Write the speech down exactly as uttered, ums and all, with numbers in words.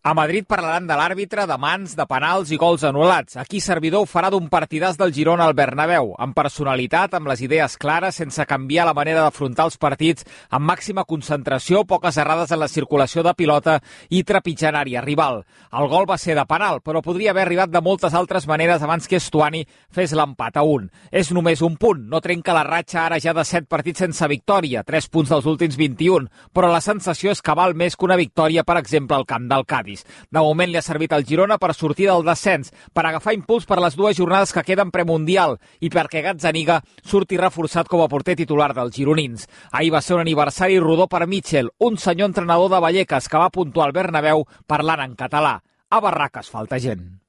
A Madrid parlaran de l'àrbitre, de mans, de penals i gols anul·lats. Aquí Servidor ho farà d'un partidàs del Girona al Bernabéu, amb personalitat, amb les idees clares, sense canviar la manera d'afrontar els partits, amb màxima concentració, poques errades en la circulació de pilota i trepitjant àrea rival. El gol va ser de penal, però podria haver arribat de moltes altres maneres abans que Estuani fes l'empat a un. És només un punt, no trenca la ratxa ara ja de set partits sense victòria, tres punts dels últims vint-i-un, però la sensació és que val més que una victòria, per exemple, al camp del Cádiz. De moment li ha servit al Girona per sortir del descens, per agafar impuls per les dues jornades que queden premundial i perquè Gazzaniga surti reforçat com a porter titular dels gironins. Ahir va ser un aniversari rodó per Mitchell, un senyor entrenador de Vallecas que va puntuar al Bernabéu parlant en català. A Barraques falta gent.